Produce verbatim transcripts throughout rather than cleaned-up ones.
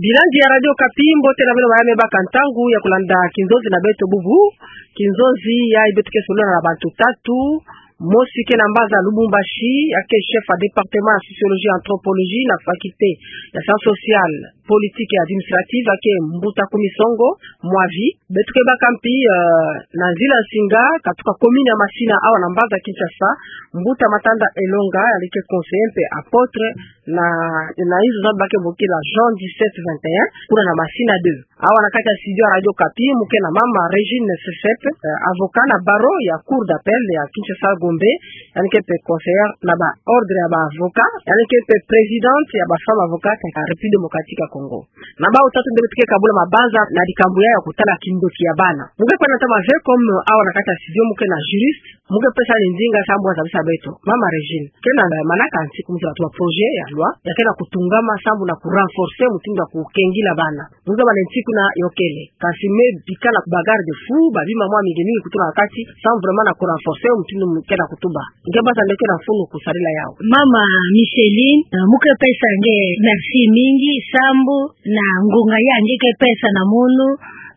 Bilandi ya Radio Okapi, mbote na beno ba ya me baka ntangu ya kulanda kinzonzi na beto bubu. Kinzonzi yayi beto ke solola na bantu tatu. Mosi ke na mbanza Lubumbashi, ya ke chef ya département ya sociologie et anthropologie na faculté ya sciences sociales, politiques et administratives, ya ke Mbuta Kumisongo Mwavi. Beto ke baka mpi, eh, na nzila nsinga, katuka commune ya Masina, awa na mbanza Kinshasa, Mbuta Matanda Elonga, yandi ke conseiller mpe apôtre na, na inzo za ba ke bokila Jean dix-sept vingt et un, kuna na Masina deux. Awa na kati ya studio ya Radio Okapi, mu ke na mama Régine Sesep, eh, avocat na barreau ya Cour d'appel ya Kinshasa Gombe, yandi ke mpe conseillère na ba ordre ya ba avocats, yandi ke mpe présidente ya ba femmes avocates ya République démocratique ya Congo. Na bawu tatu nde beto ke kabula mabanza na likambu ya, ya kutala kindoki ya bana. Mu ke kwenda ntama ve comme awa na kati ya studio mu ke na juriste, mu ke pesa ni ndinga sambu azabisa beto. Mama Régine, ke na manaka nsiku mu zaba tuba projet ya loi ya ke na kutungama sambu na ku renforcer mutindu ya kukengila bana. Mu zaba ni nsiku na yokele. Kansi me bika na ba garde-fous, ba bima mwa mingi mingi kutula na kati, sambu vraiment na ku renforcer mutindu mu ke na kutuba. Nge banza nde ke na mfunu kusadila yawu. Mama Micheline, eh, mu ke pesa nge merci mingi, sambu na ngunga ya nge ke pesa na munu,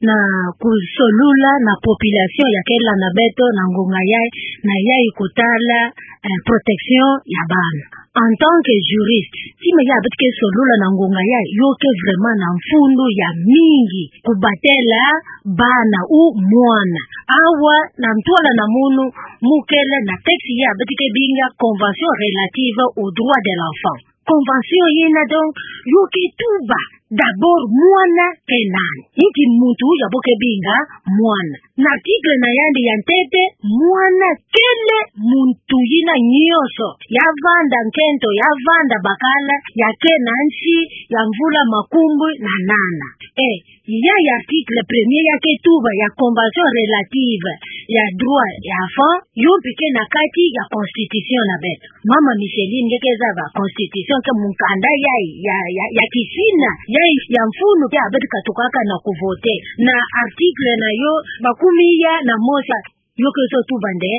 na kusolula na population ya ke landa beto na ngunga yayi, na yayi kutala, eh, protection ya bana. En tant que juriste, tima ya beto ke solula na ngunga yayi, yo ke vraiment na mfunu ya mingi, kubatela bana ou mwana. Awa na ntwala na munu, mu kele na texte ya beto ke binga Convention relative aux droits de l'enfant. Convention yina donc, yo ke tuba d'abord mwana ke nani. Inki muntu ya bo ke binga mwana. Na article na yandi ya ntete, mwana kele muntu yina nyonso ya vanda nkento, ya vanda bakala, ya ke na nsi ya mvula makumbwi na nana. Eh, ya, ya article premier ya ke tuba ya Convention relative ya droit ya enfant, yo mpi ke na kati ya constitution na beto. Mama Micheline, nge ke zaba constitution ke mukanda yayi ya, ya, ya kisina, yayi ya mfunu ya beto katukaka na kuvoter. Na article na yo makumia na mosi, yo ke zo tuba nde,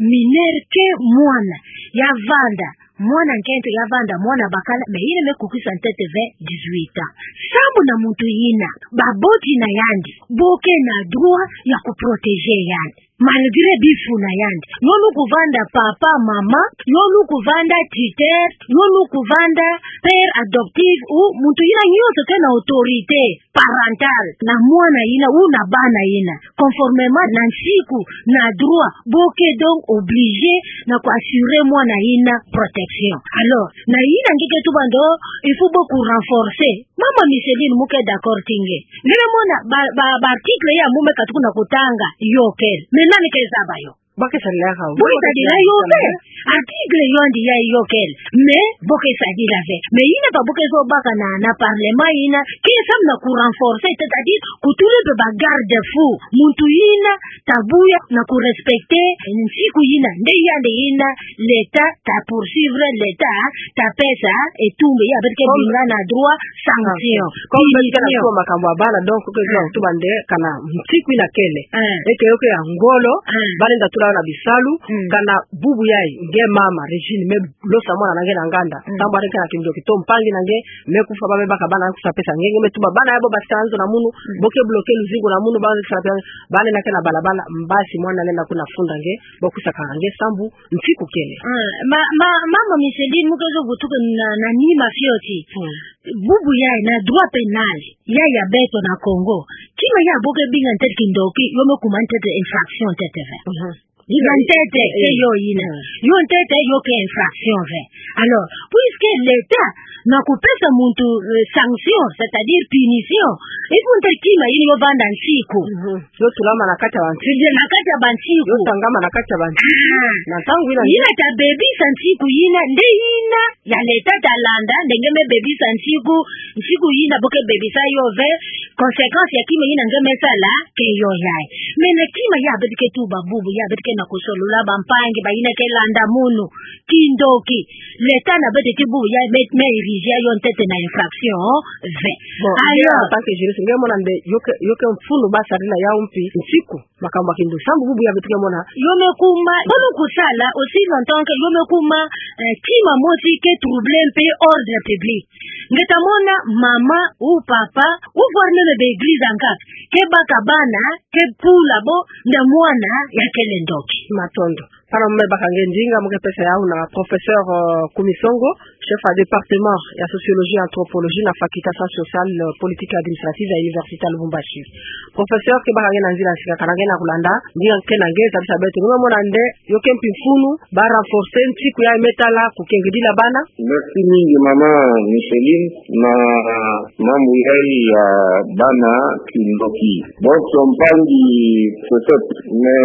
mineur ke mwana ya vanda, mwana nkento ya vanda, mwana bakala, mais yina me kukisa ntete ve dix-huit ans. Sambu na muntu yina, baboti na yandi bo ke na droit ya kuprotéger yandi. Malgré bifu na yandi. Yo lu kuvanda papa, mama, yo lu kuvanda tuteur, yo lu kuvanda père adoptif, ou muntu yina nyonso ke na autorité parentale na mwana yina ou na bana yina. Conformément na nsiku, na droit, bo ke donc obligé na ku assurer mwana yina protection. Alors, na yina nge ke tuba nde, il faut bo ku renforcer. Mama Micheline, mu ke d'accord ti nge? Nge mona ba, ba, ba article ya mu me katuka na kutanga, yo kele. Mais nani ke zaba yo? Bo ke sadila yo ve. Bo ke sadila yo ve. Article yo yandi yayi yo kele. Mais bo ke sadila ve. Mais yina pa bo ke zo baka na, na parlement yina, ke samu na ku renforcer, c'est-à-dire kutula mpe ba garde-fous. Muntu yina ta buya na ku respecter nsiku yina, nde yandi yina, l'État ta poursuivre, l'État ta pesa etumbu ya beto ke binga na droit sanction. Comme beto ke na tuba makambu ya bana, donc ke zo tuba nde kana nsiku yina kele. Eh. Eke yo ke ya ngolo, eh, ba lenda tula yo na bisalu, mm, kana bubu yayi, nge mama Régine, me losa mwana na nge na nganda. Mm. Sambu yandi ke na kindoki to mpangi na nge me kufa, ba me baka bana, kusa pesa nge, nge me tuba bana ya bo basikana nzo na munu, mm, bo ke bloquer luzingu na munu, ba me kusa pesa, ba lenda ke na balabala, mbasi mwana lenda kuna funda nge, bo kusa kanga nge sambu nsiku kele. Ah, ma, ma, mama Micheline, mu ke zo vutuka na, na nima fioti. Mm. Bubu yayi na droit pénal yayi ya beto na Congo, kima ya bo ke binga ntete kindoki, yo me kuma ntete infraction ntete ve. Mhm. Yina ntete, eh, ke yo yina. Mm. Yo ntete, yo ke infraction ve. Alors, puisque l'État na kupesa muntu, euh, sanction, c'est-à-dire punition, il faut ntete kima yina yo vanda nsiku. Mhm. Yo tulama na kati ya bansiku. Na kati ya bansiku. Yo tangama na kati ya bansiku. Ah. Na ntangu yina, yina ta bebisa nsiku yina, nde yina ya l'État ta landa, nde nge me bebisa nsiku, nsiku yina bo ke bebisa yo ve, Conséquence ya kima ina nge me sala, ke yo yae. Mais na kima ya beto ke tuba bubu, ya beto ke na kusolula bampangi, ba ina ke landa munu, kindoki. L'État na beto ke bubu ya me, me érigé yo ntete na infraction, ve. Bon, alors, en tant que juriste, nge mona nde, yo ke, yo ke mfunu ba sarila yawu mpi, nsiku, makambu ma kindoki. Sambu bubu ya beto ke mona. Yo me kuma, bono kusala, aussi longtemps que yo me kuma, eh, kima mosi ke troubler mpe ordre public. Nge ta mona mama ou papa, ou voire même ba église ankaka, ke baka bana, ke pula bo, nde mwana, ya kele ndoki. Matondo. Pana mu me baka nge ndinga, mu ke pesa yawu na professeur, euh, Kumisongo, chef ya département ya sociologie et anthropologie na faculté sciences sociales, euh, politiques et administratives ya université ya Lubumbashi. Professeur, ke baka nge na nzila ya sika, kana nge na kulanda, ndinga ke na nge, zabisa beto, nge me mona nde, yo ke mpi mfunu, ba renforcer nsiku ya me tala, kukengidila bana. Merci mingi, mama Micheline, na mambu yayi ya bana kindoki. Bon, mpangi Joseph, me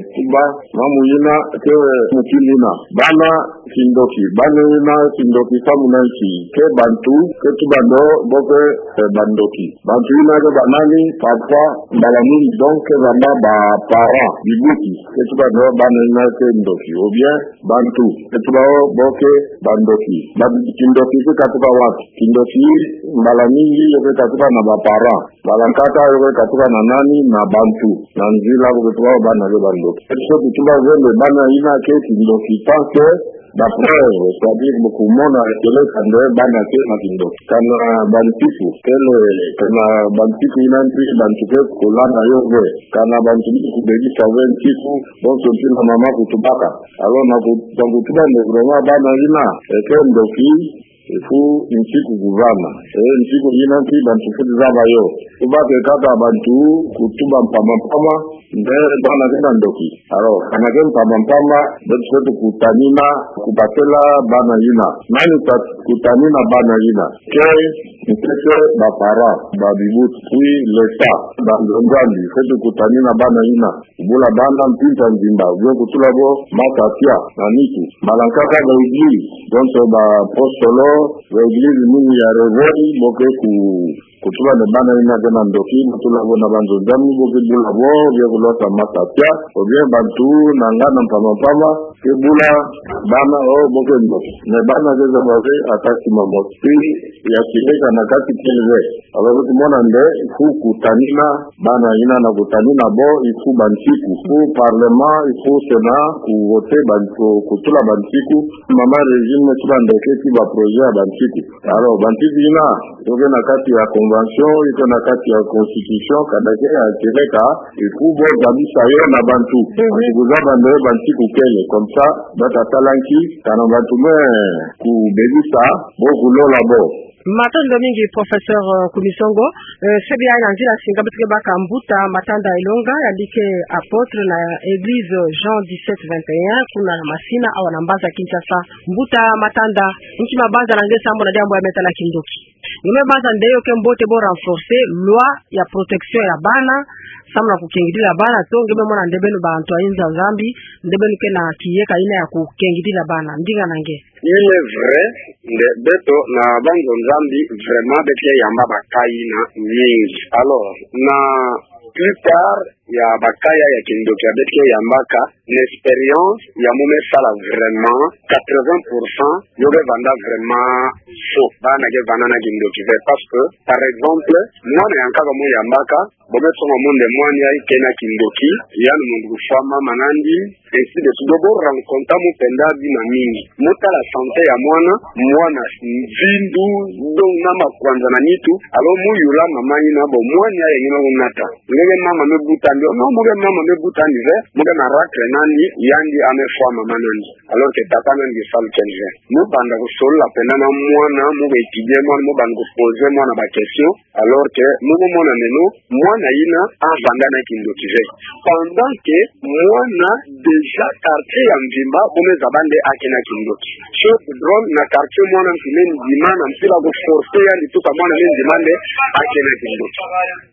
tuba, mambu yina, ke mutindu yina. Bana kindoki, bana yina kindoki, samu na nki, ke bantu, ke tuba ndo, bo ke, eh, bandoki. Bantu yina ke banani, parfois, mbala mingi, donc, ke bana ba parents, bibuti, ke tuba ndo, bana yina ke ndoki, ou bien, bantu, ke tuba o, bo ke, bandoki. Ba, kindoki ke katuka wapi? Kindoki, mbala mingi, yo ke katuka na ba parents. Mbala nkaka yo ke katuka na nani? Na bantu. Na nzila bo ke tuba bana ke bandoki. Ke tuba zole bana yina ke kindoki tant que d'après, c'est-à-dire bo kumona kele kande bana ke na kindoki. Kana bansiku, kele, kana bansiku yina mpi bantu ke kulanda yo ve. Kana bantu mpi kubebisa ve nsiku, bonso mpi na mama kutubaka. Alors na ku-, na kutuba nde vraiment bana yina, eh, ke ndoki, il faut nsiku kuvana. Eh, nsiku yina mpi bantu fweti zaba yo. Tubake kaka bantu kutuba mpamba mpamba, nde bana ke na ndoki. Alors, kana ke mpamba mpamba, beto fweti kutanina, kubatela bana yina. Nani fweti kutanina bana yina? Ke, ntete ba parents, ba bibuti, puis l'État, ba nzonzambi, fweti kutanina bana yina. Kubula bana mpimpa nzimba, ou bien kutula bo matatia na nitu. Mbala nkaka ba église, donc ba apostolo, ba église mingi ya réveil, bo ke ku-, kutuba nde bana yina ke na ndoki, kutula bo na ba nzonzambi, bo ke bula bo, ou bien kulota matatia, ou bien bantu na ngana mpamba mpamba, ke bula bana o, bo ke ndoki. Mais bana ke zaba ve ata kima mosi, ya kileka na kati kele ve. Alors, beto mona nde, il faut kutanina, bana yina na kutanina bo, il faut bansiku. Il faut parlement, il faut Sénat, kuvoter ban-, ku-, kutula bansiku. Mama Régine me tuba nde ke ti ba projet ya bansiku. Alors, bansiku yina, yo ke na kati ya convention, yo ke na kati ya constitution, kanda ke ya kileka, il faut bo zabisa yo na bantu. Mhm. Parce que kuzaba nde bansiku kele, comme ça, bata sala nki, kana bantu me kubebisa, bo kulola bo. Matondo mingi, professeur, euh, Kumisongo. Euh, sebi ya na nzila ya sika beto ke baka Mbuta Matanda Elonga, yandi ke apôtre na église Jean dix-sept vingt et un, kuna na Masina, awa na mbanza Kinshasa. Mbuta Matanda, nki mabanza na nge sambu na diambu ya me tala kindoki? Nge me banza nde yo ke mbote bo renforcer loi ya protection ya bana, sambu na kukengidila bana, to nge me mona nde beno bantu ya nza Nzambi, nde beno ke na kiyeka yina ya kukengidila bana, ndinga na nge? Il est vrai, nde beto na ba nzonzambi, vraiment, beto ke yamba ba cas yina mingi. Alors, na plupart ya ba cas ya kindoki ya beto ke yambaka, na expérience ya mu me sala vraiment, quatre-vingts pour cent, yo ke vanda vraiment faux. Bana ke vanda na kindoki ve, parce que, par exemple, mwana ya nkaka mu yambaka, bo me songa mu nde mwana yayi ke na kindoki, yandi muntu kufwa mama nandi, ainsi de suite. Bo rencontre mu penda bima mingi. Mu tala santé ya mwana, mwana mvindu, donc na makwanza na nitu, alors mu yula mama yina bo mwana yayi ngina kunata. Nge ke mama me buta ndi, non, mu ke mama me buta ndi ve, mu ke na racler nandi, yandi a me fwa mama nandi. Alors que tata nandi ke salu keni ve. Mu banda kusolola penda na mwana, mu ke étudier mwana, mu banda ku poser mwana ba question, alors que mu ke mona nde non, mwana yina avanda na kindoki ve. Pendant que mwana déjà quartier ya mvimba, bo me zaba nde a ke na kindoki. Sauf drôle, na quartier mwana mpi me ndima, na mpila ku forcer yandi tuka mwana me ndima nde a ke na kindoki.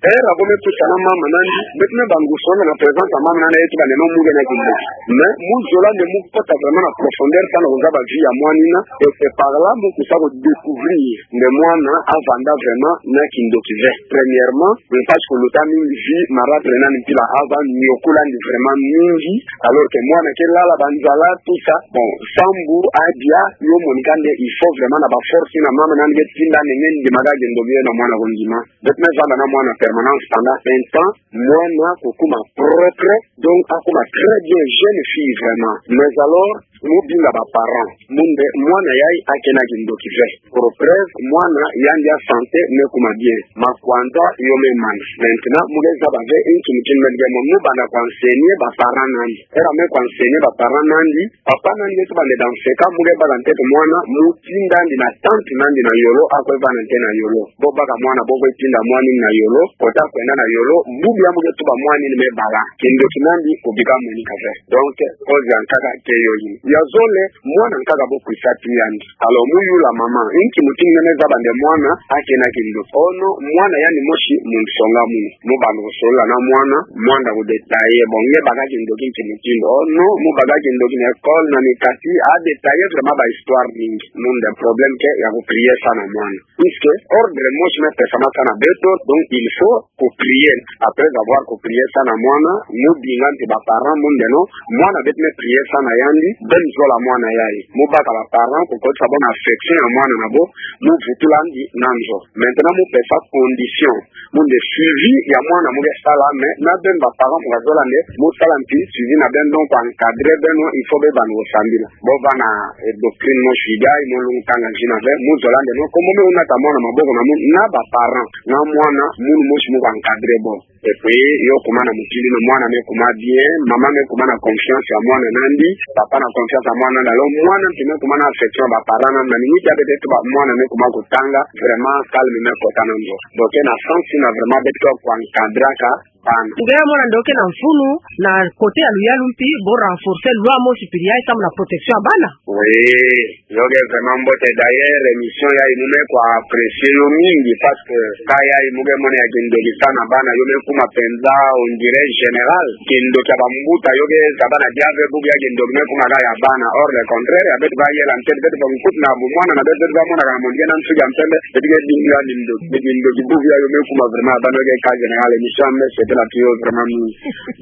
Heure bo me tusa na mama nandi, beto me banda kusonga na présence ya mama nandi, tuba nde non, mu ke na kindoki. Mais mu zola nde mu kota vraiment approfonder sa na kozaba vie ya mwanina, et c'est par là mo kusa ko découvrir nde mwana avanda vraiment na kindoki ve. Premièrement, mpasi kuluta mingi vie marâtre nani mpila ava niokulandi vraiment mingi, alors que mwana ke lala banzala, tout ça. Bon, sambu adia, yo monika nde il faut vraiment na ba force na mama nani ke tinda nde nge ndimaka kindoki yo na mwana ko ndima. Beto me vanda na mwana permanence pendant un temps, mwana ko kuma propre, donc akuma très bien, jeune fille vraiment. Mais alors, mo binga ba parents mu nde mwana yayi akena kindoki ve. Pour preuve, mwana yandi ya santé me kuma bien. Makuanza yo me mana. Maintenant, mo ke zaba ve nki mutindu me di ke mo, mo banda ko enseigner ba parents nandi. Era me ko enseigner ba parents nandi, papa nandi eto bande dans ce cas, mo ke baka ntete mwana, mo tindandi na tante nandi na yolo, ako vanda nte na yolo. Bo baka mwana, bo kwe tinda mwanina na yolo, kota kwenda na yolo, bubu ya mo ke tuba mwanina me bala. Kindoki nandi ko bika monika ve. Donc, cause ya nkaka ke yo yina. Ya zole, mwana nkaka bo kwisa ti yandi. Alors, mo yula mama, nki mutindu nge me zaba nde mwana akena kindoki? Oh non, mwana yandi mosi mu nsonga munu. Mo banda ko solola na mwana, mwana ko détailler. Bon, nge baka kindoki nki mutindu? Oh non, mo baka kindoki na école, na mikati, a détailler vraiment ba histoire mingi. Mu nde problème ke ya ko prier sa na mwana. Puisque ordre mosi me pesama sa na beto, donc il faut ko prier. Après avoir ko prier sa na mwana, mo binga nti ba parents mu nde non, mwana beto me prier sa na yandi, beno zola mwana yayi. Mo baka ba parents ko kotisa bo na affection ya mwana na bo, mo vutulandi na nzo. Maintenant, mo pesa condition mu nde suivi ya mwana mo ke sala, mais na beno ba parents mo ka zola nde mo sala nti suivi na beno, donc ko encadrer beno, il faut be banda ko sambila. Bo vana, eh, doctrine mosi yayi, mo lungutanga nzina ve, mo zola nde non, comme mo me nata mwana maboko na mo, na ba parents na mwana, munu mosi mo ko encadrer bo. Et puis, yo kuma na mutindu ino, mwana me kuma bien, mama me kuma na confiance ya mwana nandi, papa na confiance ya mwana nandi, alors mwana nti me kuma na affection ya ba parents nandi, na minute ya beto tuba mwana me kuma kotanga, vraiment calme me kota na nzo. Donc, na sens ina vraiment beto ko encadraka bana. Nge mwana nde oke na mfunu, na côté ya luyalu mpi, bo renforcer loi mosi pili yayi samu na protection ya bana. Oui, yo ke vraiment mbote. D'ailleurs, émission yayi mu me ko apprécier yo mingi, parce que cas yayi mu ke mona ya kindoki sa na bana, yo me kuma penza, on dirait général. Kindoki ya bambuta, yo ke zaba na dia ve bubu ya kindoki me kuma kaka ya bana. Or, le contraire, ya beto bayela ntete, beto bankutu na bu mwana na beto, beto bamona kana mwana ke na nsuki ya mpembe, beto ke dinga kindoki, kindoki bubu ya yo me kuma vraiment ya bana, yo ke cas général, émission ya me sepela ti yo vraiment mingi.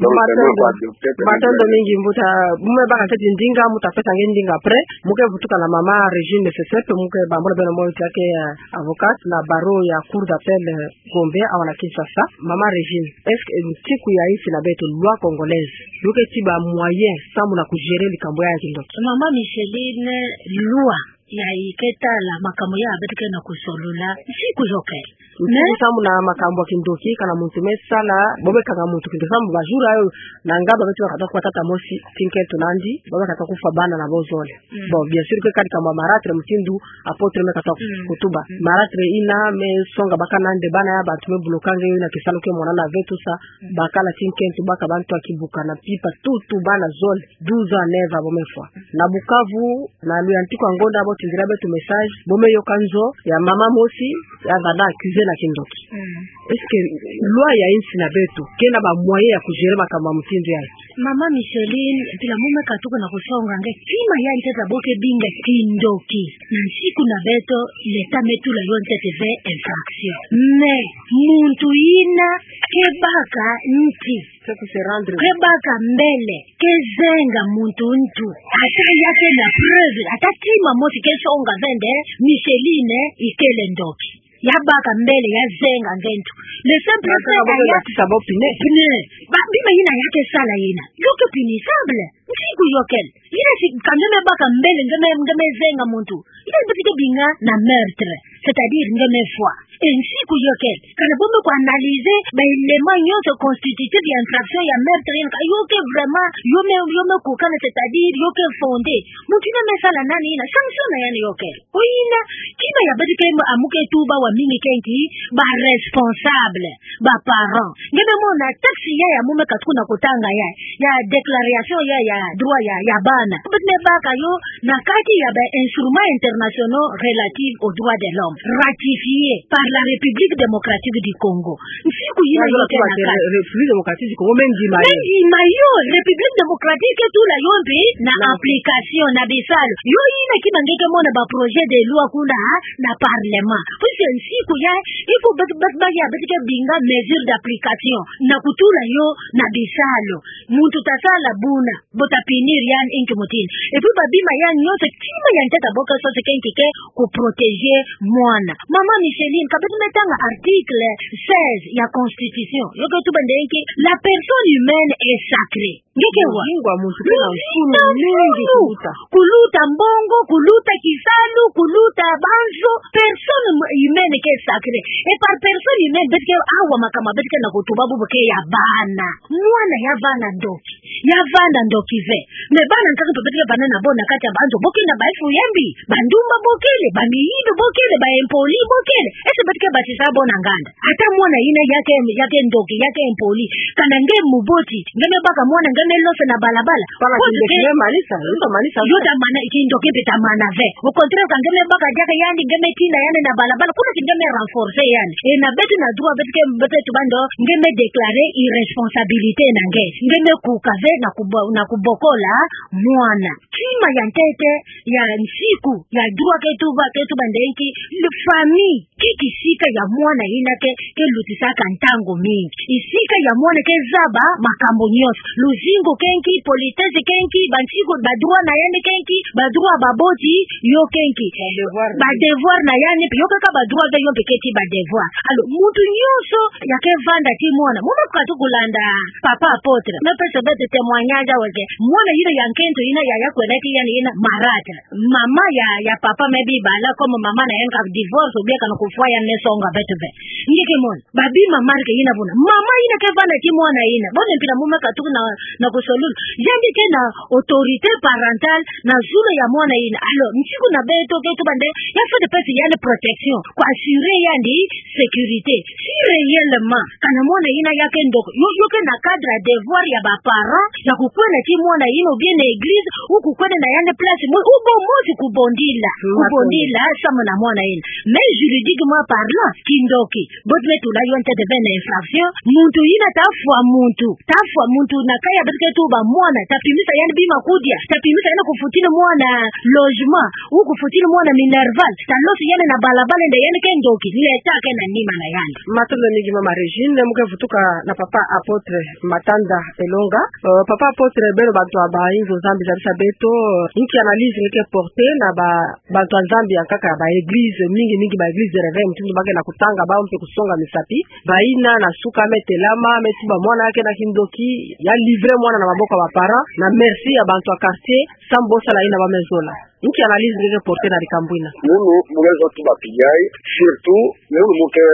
Donc, vraiment, matondo, ko adopter, matondo mingi mbuta, mu me baka ntete ndinga, mu ta pesa nge ndinga après, mu ke vutuka na mama Régine Sesep, mu ke bambola beno moyo ti ya ke, euh, avocate na barreau ya Cour d'appel, euh, Gombe, awa na Kinshasa. Mama Régine, est-ce que, euh, nsiku ya insi na beto, loi congolaise, yo ke tiba moyen samu na ku gérer likambu ya kindoki? Mama Micheline, loi ya iketa la makambu ya beto ke na kusolola, nsiku yo ke. Nsiku samu na makambu ya kindoki, kana muntu me sala, bo me kanga muntu kindoki, samu ba jour yayo, na nga ba beto bakata kufa tata mosi, ti nkento nandi, ba me kata kufa bana na bo zole. Mm. Bon, bien sûr que kadi kama marâtre mutindu apôtre me kata, mm, kutuba. Mm. Marâtre ina me songa baka nande bana ya bantu me bloquer nge yo na kisalu ke mona na ve tout ça. Mm. Bakala ti nkento, baka bantu ya kibuka na pipa, tout, tout bana zole, douze ans, neuf ans, bo me fwa. Na Bukavu, na luyantiku ya ngonda bo tindila beto message, bo me yoka nzo ya mama mosi, ya vanda accusé na kindoki. Mm. Est-ce que loi ya insi na beto ke na ba moyen ya ku gérer makambu ya mutindu yayi? Mama Micheline, mpila mu me katuka na kusonga nge, kima ya ntete bo ke binga kindoki, na nsiku na beto, l'État me tula yo ntete ve infraction. Mais muntu ina ke baka nti, ke ku se rendre, ke baka mbele, ke zenga muntu ntu, ata ya ke na preuve, ata kima mosi ke songa ve nde Micheline ikele ndoki. Ya baka mbele, ya zenga nge ntu. Le simple fait que ya kisa bo pneu. Pneu. Ba, bima ina ya ke sala ina, yo ke punissable. Nsiku yo kele. Ina si ka nge me baka mbele, nge me, nge me zenga muntu, ina si beto ke binga na meurtre, c'est-à-dire nge me fwa. Et nsiku yo kele, kana bo me ku analyser ba éléments nyonso constitutifs ya infraction ya meurtre, ina ka yo ke vraiment, yo me, yo me kukana, c'est-à-dire yo ke fondé. Muntu ina me sala nani ina, sanction na yandi yo kele. Oyina, kima ya beto ke amu ke tuba wa mingi ke nki, ba responsable, ba parents. Nge me mona texte ya, ya mu me katuka na kutanga ya, ya déclaration ya, ya droit ya, ya bana. Beto me baka yo na kati ya ba instruments internationaux relatifs aux droits de l'homme, ratifiés par la République démocratique du Congo. Nsiku yina yo ke na kati. République démocratique du Congo me ndima yo. Me ndima yo, République démocratique ke tula yo mpe na application, na bisalu. Yo yina kima nge ke mona ba projet de loi kuna na parlement. Puisque nsiku ya, il faut beto, beto, ba ya, beto ke binga mesure d'application na kutula yo na bisalu. Muntu ta sala buna, bo ta punir yandi inki mutini. Et puis ba bima yandi nyonso, kima ya ntete bo ke sosa ke nki? Ke ku protéger mwana. Mama Micheline, ka beto me tanga article seize ya constitution. Yo ke tuba nde nki? La personne humaine est sacrée. Nge ke wa? Luzingu a muntu kena mfunu mingi kuluta. Kuluta mbongo, kuluta kisalu, kuluta banzo. Personne humaine ke sacrée. Et par personne humaine, beto ke awa makama, beto ke na kutuba bubu ke ya bana. Mwana ya vanda ndoki. Ya vanda ndoki ve. Mais bana nkaka mpe beto ke vanda na bo na kati ya banzo, bo ke na ba efu ya mbi, ba ndumba bo kele, ba miyidu bo kele, ba impoli bo kele. Est-ce que beto ke basisa bo na nganda? Ata mwana yina ya ke, ya ke ndoki, ya ke impoli, kana nge muboti, nge me baka mwana, nge me losa na balabala. Pala kindoki me manisa, yo ta manisa. Yo ta mana, kindoki mpe ta mana ve. Au contraire, ka nge me baka diaka yandi, nge me tina yandi na balabala, kuna ti nge me renforcer yandi. Et na beto na droit, beto ke, beto tuba ndo, nge me déclarer irresponsabilité na nge. Nge me kuka ve na kubo-, na kubokola mwana. Kima ya ntete ya nsiku ya droit ke tuba, ke tuba nde nki? Le famille ke kisika ya mwana yina ke, ke lutisaka ntangu mingi. Kisika ya mwana ke zaba makambu nyonso. Luzingu ke nki, politesse ke nki, ba nsiku, ba droit na yandi ke nki, ba droit ya baboti yo ke nki. Ba devoir. Ba devoir na yandi, yo ke kaba droit ve, yo mpe keti ba devoir. Alors, muntu nyonso ya ke vanda ti mwana. Mu me katu kulanda Papa Apôtre. Me pesa beto témoignage awa ke. Mwana yina ya nkento yina ya, ya kwenda ti yandi yina marâtre. Mama ya, ya papa me bi bala, comme mama na yandi ka divorce, ou bien kana kufwa, yandi me songa beto ve. Nge ke mona, ba bima marque yina buna. Mama yina ke vanda ti mwana yina. Bo ne mpila mu me katuka na, na kusolulu. Yandi ke na autorité parentale na zulu ya mwana yina. Alors, nsiku na beto ke tuba nde, ya fwete pesa yandi protection. Ku assurer yandi sécurité. Si réellement, kana mwana yina ya ke ndoki, yo, yo ke na cadre ya devoir ya ba parents, ya kukwenda ti mwana yina, ou bien na église, ou kukwenda na yandi place, mo, ou bo mosi kubondila. Mm, kubondila, samu na mwana yina. Mais juridiquement parlant, kindoki, beto me tula yo ntete ve na infraction, muntu yina ta fwa muntu, ta fwa muntu na kaya beto ke tuba mwana, ta pimisa yandi bima kudia, ta pimisa yandi kufutila mwana logement, ou kufutila mwana minerval, ta losa yandi na balabala nde yandi ke ndoki, l'État ke na nima na yandi. Matondo mingi Mama Régine, mu ke vutuka na Papa Apôtre Matanda Elonga. Euh, Papa Apôtre, beno bantu ya ba inzo Nzambi, zabisa beto, euh, nki analyse nge ke porter na ba, bantu ya Nzambi ya nkaka ya ba église, mingi mingi ba église de réveil, mutindu ba ke na kutanga, bawu mpe kusonga misapi. Bayina na suka me telama, me tuba mwana ya ke na kindoki, ya livrer mwana na maboko ya ba parents, na merci ya bantu ya quartier, samu bosala yina ba me zola. Nki analyse nge ke porter na likambu yina? Munu, mu ke zola tuba pigay, surtout, munu mu ke,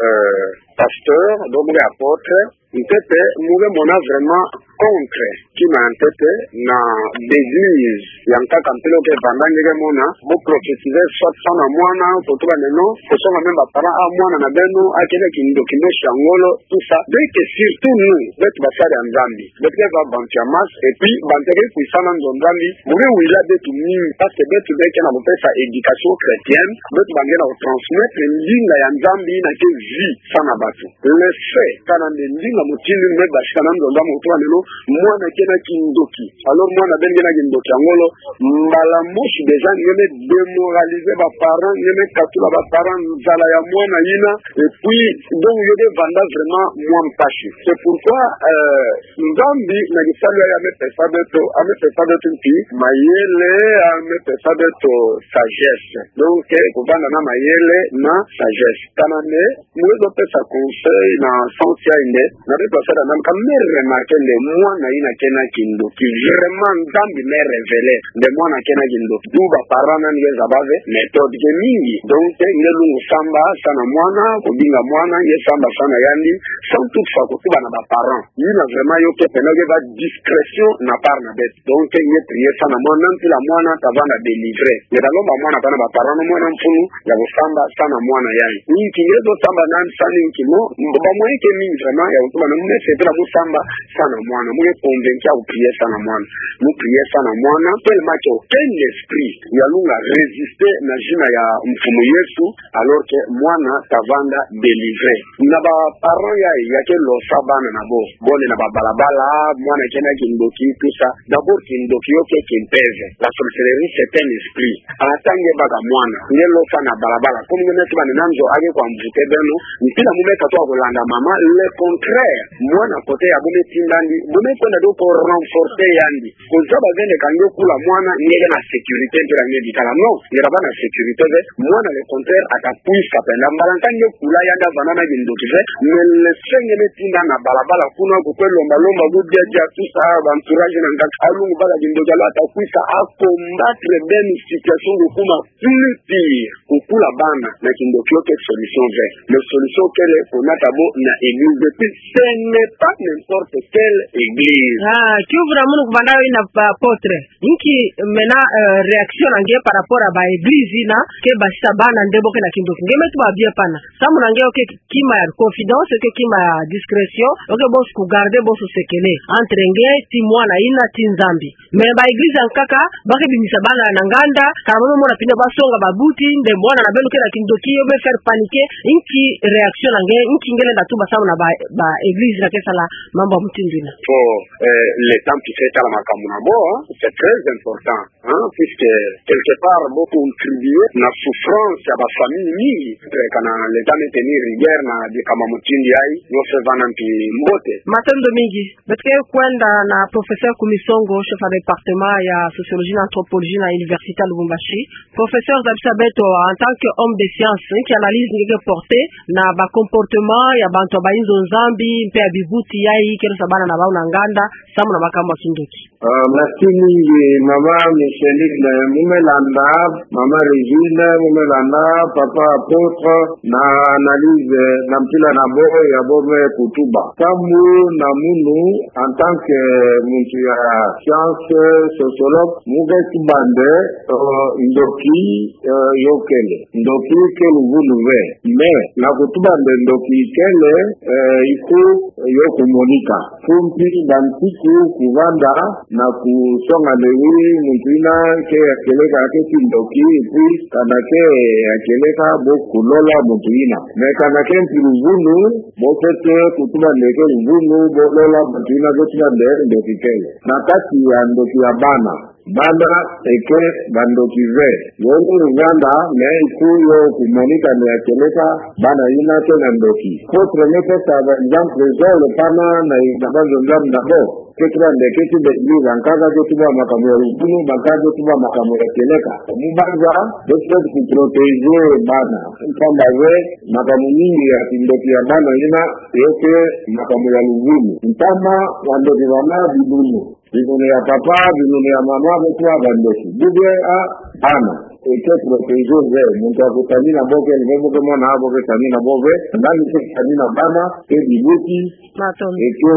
euh, pasteur, donc mu ke apôtre, ntete, mu ke mona vraiment contre, kima ntete, na ba église ya nkaka mpila ke vanda nge ke mona, bo prophétiser soit samu na mwana, ko tuba nde non, ko songa même ba parents, ah, mwana na beno, a kele kindoki, kindoki ya ngolo, tout ça. Donc, surtout nous, beto basali ya Nzambi, beto ke va bantu ya masse, et puis, bantu ya ke kwisa na nzo Nzambi, mu ke wila beto mingi, parce que beto nde ke na kupesa éducation chrétienne, beto ba nge na kutransmettre ndinga ya Nzambi na ke vie samu na bato. Le fait, kana nde ndinga mutindu me basika na nzo Nzambi, ko tuba nde non, mwana ke na kindoki. Alors, mwana beno ke na kindoki ya ngolo, mbala mosi déjà, nge me démoraliser ba parents, nge me katula ba parents nzala ya mwana yina, et puis, donc, yo ke vanda vraiment mwa mpasi. C'est pourquoi, euh, Nzambi, na kisalu ya ye, a me pesa beto, a me pesa beto mpi mayele, a me pesa beto sagesse. Donc, eh, kuvanda na mayele na sagesse. Kana nde, mu ke zo pesa conseil na sens ya nde, na beto basali ya Nzambi, ka me remarquer nde mwana yina ke na kindoki, vraiment Nzambi me révéler nde mwana ke na kindoki. D'où ba parents na nge zaba ve méthode ke mingi. Donc, eh, nge lungu samba samu na mwana, kubinga mwana, nge samba samu na yandi, Sans toutefois kotuba na ba parents, yina vraiment yo ke pena yo ke bâ discrétion na part na beto. Donc nge prier salu na mwana, na mpila mwana ta vanda délivré. Nge ta lomba mwana bana ba parents, mwana mfunu ya kosamba salu na mwana yayi. Inki nge zo samba nani, salu inki mo, ba moyens ke mingi vraiment ya kotuba na mu me sepela mu samba salu na mwana, mu ke convaincu ya ko prier salu na mwana. Mu prier salu na mwana, tellement que aucun esprit ya lunga résister na zina ya Mfumu Yesu, alors que mwana ta vanda délivré. Na ba parents yayi ya ke losa bana na bo, bo lenda na ba balabala, mwana ke na kindoki, tout ça. D'abord, kindoki yo ke kimpeve. La sorcellerie, c'est un esprit. Ata nge baka mwana, nge losa na balabala, comme nge me tuba ni na nzo, a ke kwa mvute beno, mpila mu me katuka kolanda mama, le contraire. Mwana côté ya bo me tindandi, bo me kwenda do ko renforcer yandi. Kozaba ve nde ka nge kula mwana, nge ke na sécurité, mpila nge bikala. Non, nge ta bâ na sécurité ve, mwana le contraire, ata kwisa penda. Mbala nka nge kula yandi, avanda na kindoki ve, mais le fait nge me tinda na balabala kuna, ko kwe lomba lomba, ko dia dia, tout ça, ba entourage na nka, a lungu bala kindoki, alors ata kwisa, a combattre beno situation ko kuma plus pire. Kukula bana na kindoki yo ke solution ve. Le solution kele konata bo na église. Et puis, ce n'est pas n'importe quelle église. Ah, kiuvu na munu ku vanda yo ina, ba apôtre. Inki mena, euh, réaction na nge par rapport à ba église ina ke basisa bana nde bo ke na kindoki. Nge me tuba bien pana. Samu na nge yo ke kima ya confidence, yo ke kima ya discrétion, yo ke boso ku garder boso secret entre nge ti mwana ina ti Nzambi. Mais ba église ya nkaka, ba ke bimisa bana na nganda, kala bo me mona pina ba songa ba buti, nde mwana na beno ke na kindoki, yo me faire paniquer. Inki réaction na nge, inki nge lenda tuba samu na ba, ba église ina ke sala mambu ya mutindu ina. Faut, euh, l'État mpe ke tala makambu na bo, hein, c'est très important, hein, puisque quelque part, bo contribuer na souffrance ya ba famille mingi, eh, kana l'État me tenir rigueur na bikama mutindu yayi, yo fe vana mpe mbote. Matondo mingi. Beto ke kwenda na professeur Kumisongo, chef ya département ya sociologie na anthropologie na Université ya Lubumbashi. Professeur, zabisa beto, en tant que homme de science, inki analyse nge ke porter na ba comportement ya bantu ya ba inzo Nzambi, mpe ya bibuti yayi ke losa bana na bau na nganda, samu na makambu ya kindoki. Euh, merci mingi, mama Micheline, mu me landa, mama Régine, mu me landa, papa apôtre, na analyse na mpila na bo ya bo me kutuba. Samu na munu, en tant que muntu ya science, sociologue, mu ke tuba nde, euh, ndoki, euh, yo kele. Ndoki ke luvunu ve. Mais, na kutuba nde ndoki kele, euh, il faut yo kumonika. Faut mpi ba nsiku kuvanda na kusonga nde oui, muntu ina ke ya kieleka ke ti ndoki, et puis kana ke ya kieleka bo kulola muntu ina. Mais kana ke mpi luvunu, bo fwete kutuba nde ke luvunu, bo lola muntu ina ke tuba nde ndoki kele. Na kati ya ndoki ya bana, bana eke ba ndoki ve. Yo ni luvanda, mais il faut yo kumonika ni ya kieleka bana ina ke na ndoki. Apôtre me pesa ba exemple zole pana na ina ba nzonzam na bo. Ke tuba nde ke ti ba église ya nkaka ke tuba makambu ya luvunu, ba nkaka ke tuba makambu ya kieleka. Mu banza, beto fwete ku protéger bana. Mpamba ve, makambu mingi ya kindoki ya bana ina, yo ke makambu ya luvunu. Ntama, ba ndoki bana bibunu. Bibunu ya papa, bibunu ya mama, beto ba ndoki. Bibia a, bana. Eke protéger ve, muntu ya kutani na bo ke, ni ve bo ke mona bo ke tani na bo ve, nani ke tani na bana, ke bibuti, Matondo. Eke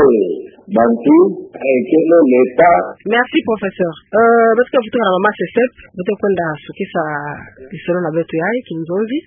bantu, eke no l'État. Merci, professeur. Euh, beto ke vutuka na mama Sesep, beto kwenda sukisa lisolo na beto yayi, kinzonzi.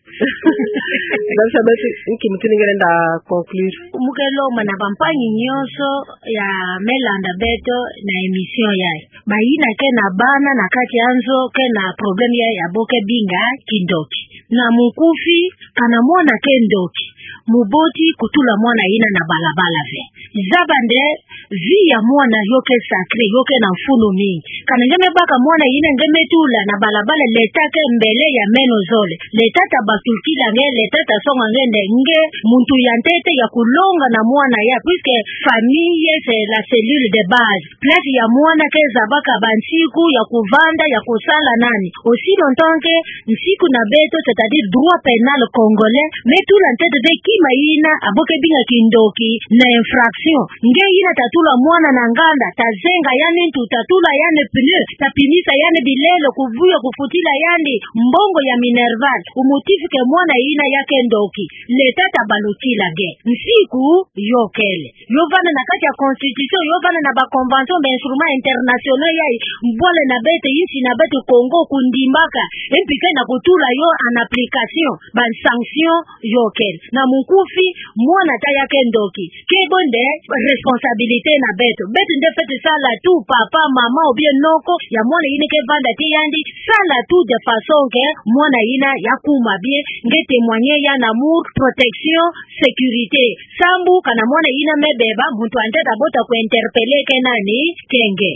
Zabisa beto, inki mutindu nge lenda conclure. Mu ke lomba na bampangi nyonso ya me landa beto na émission yayi. Bayina ke na bana na kati ya nzo ke na problème ya, ya bo ke binga kindoki. Na munkufi, kana mwana ke ndoki, muboti kutula mwana ina na balabala ve. Zaba nde vie ya mwana yo ke sacré, yo ke na mfunu mingi. Kana nge me baka mwana ina nge me tula na balabala, l'État ke mbele ya meno zole. L'État ta basculila nge, l'État ta songa nge nde nge muntu ya ntete ya kulonga na mwana ya, puisque famille c'est la cellule de base. Place ya mwana ke zabaka ba nsiku ya kuvanda, ya kusala nani. Aussi longtemps que nsiku na beto, c'est-à-dire droit pénal congolais, me tula ntete ve kima ina, a bo ke binga kindoki na infraction. Nge ina ta tula mwana na nganda, tazenga yandi ntu, tatula yandi pneu, tapimisa yandi bilele, kubuya kufutila yandi mbongo ya minerval, au motif que mwana yina yake ndoki. L'État tabalukila nge. Nsiku yo kele. Yo vanda na kati ya constitution, yo vanda na ba convention, ba instruments internationaux yayi, bwala na beto, insi na beto Congo, kundimbaka, mpi ke na kutula yo en application, ba sanction yo kele. Na munkufi, mwana ta yake ndoki. Ke bo nde responsabilité na beto. Beto nde fwete sala tout, papa, maman, ou bien noko, ya mwana yina ke vanda ti yandi, sala tout de façon que mwana yina ya kuma bien, nge témoigner ya na amour, protection, sécurité. Sambu kana mwana yina me beba, muntu ante tabota ku interpeller ke nani, ke nge.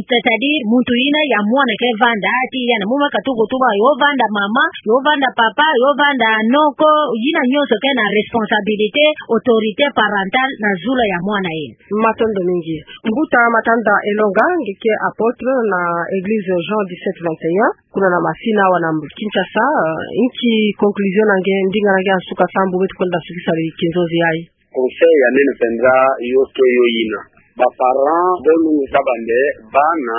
C'est-à-dire, muntu yina ya mwana ke vanda, ti yana muma katuku tuba, yo vanda mama, yo vanda papa, yo vanda noko, yina nyonso ke na responsabilité, autorité parentale na zulu ya mwana yina. Matondo mingi. Mbuta Matanda Elonga, nge ke apôtre na église Jean dix-sept vingt et un, kuna na Masina awa na Kinshasa, euh, inki conclusion na nge, ndinga na nge ya nsuka sambu beto kwenda sukisa li kinzonzi yayi. Conseil ya nene penza yo ke yo yina. Ba parents, bo lungisa bande, bana,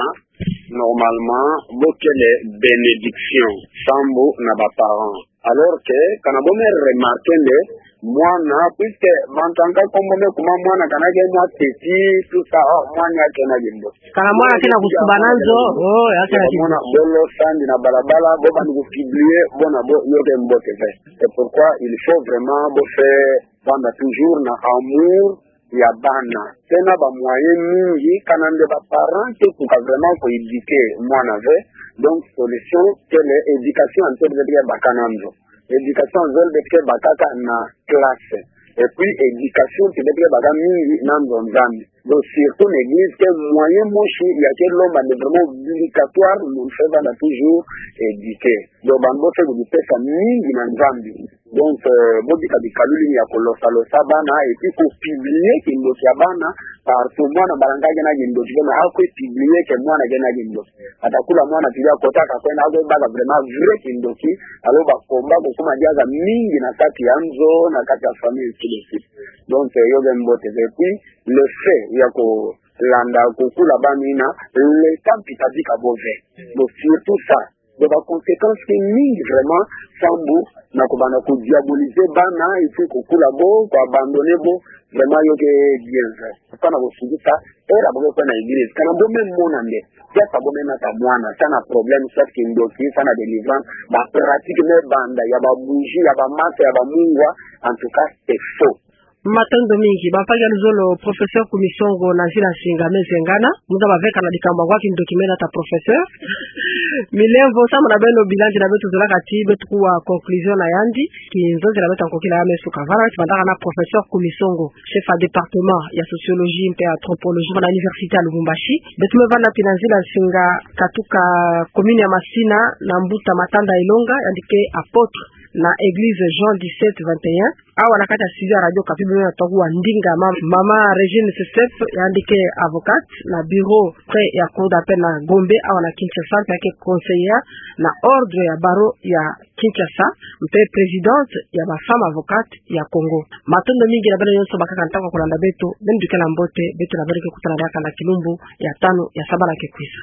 normalement, bo kele bénédiction, sambu na ba parents. Alors que, kana bo me remarquer nde, mwana, puisque, bantu nka kombo me kuma mwana, kana ke mwa teti, tout ça, oh, mwana ya kena gimbo. Kana mwana kena kusuba na nzo, oh, ya kena gimbo. Mwana, bo lo sandi na balabala, bo bandi ku publier, bo na bo, yo ke mbote ve. C'est pourquoi il faut vraiment bo fwete vanda toujours na amour ya bana. Tena ba moyens mingi, kana nde ba parents ke kuka vraiment ko éduquer mwana ve. Donc, solution, kele éducation, en fait, beto ke baka na nzo. Éducation, zole beto ke bakaka na classe. Et puis, éducation, ti beto ke baka mingi na nzo Nzambi. Donc, surtout na église, ke moyen mosi ya ke lomba nde vraiment obligatoire, munu fwete vanda toujours éduquer. Donc, bana bo fwete kudipesa mingi na Nzambi. Donc, euh, bo bika bikalulu ya ko losa losa bana, et puis ko publier kindoki ya bana, partout mwana mbala nka kena kindoki, kena ako publier que mwana kena kindoki. Ata kula mwana tiri akota ka kwenda ako baka vraiment vrai kindoki, alors ba combat ko kuma diaka mingi na kati ya nzo, na kati ya famille, ainsi de suite. Donc, euh, yo ke mbote ve. Et puis, le fait ya ko landa ko kula bana yina, l'État mpi ta bika bo ve. Donc, surtout ça, donc, ba conséquences ke mingi vraiment, sambu na ko banda ko diaboliser bana, et puis ko kula bo, ko abandonner bo, vraiment yo ke bien ve. Kana bo sukisa, era bo ke kwenda église. Kana bo me mona nde, ya sa bo me nata mwana, sa na problème, soit kindoki, sa na délivrance, ba pratique me banda, ya ba bougie, ya ba masa, ya ba mungwa, en tout cas, c'est faux. Matondo mingi, ba mpaka ya luzolo, professeur Kumisongo na Nzila Nsinga me zengana, mu za ba veka na likambu ya kindoki me nata professeur. Milemvo, samu na beno bilan ti na beto zolaka ti beto kuwa conclusion na yandi, kinzonzi na beto ya nkokila ya me suka. Vana ti bandaka na professeur Kumisongo, chef ya département ya sociologie mpe anthropologie na université ya Lubumbashi. Beto me vana pi na Nzila Nsinga, katuka commune ya Masina, na mbuta Matanda Elonga, yandi ke apôtre na église Jean dix-sept vingt et un. Awa na kati ya studio ya Radio Okapi beno na twaku wa ndinga ma-, mama Régine Sesep, yandi ke avocate na bureau près ya cour d'appel na Gombe, awa na Kinshasa, mpe yake conseillère na ordre ya barreau ya Kinshasa, mpe présidente ya ba femmes avocates ya Congo. Matondo mingi na beno nyonso bakaka ntangu ya kulanda beto, beno dikela mbote, beto na beno ke kutana diaka na kilumbu ya tanu ya sabala ke kwiza.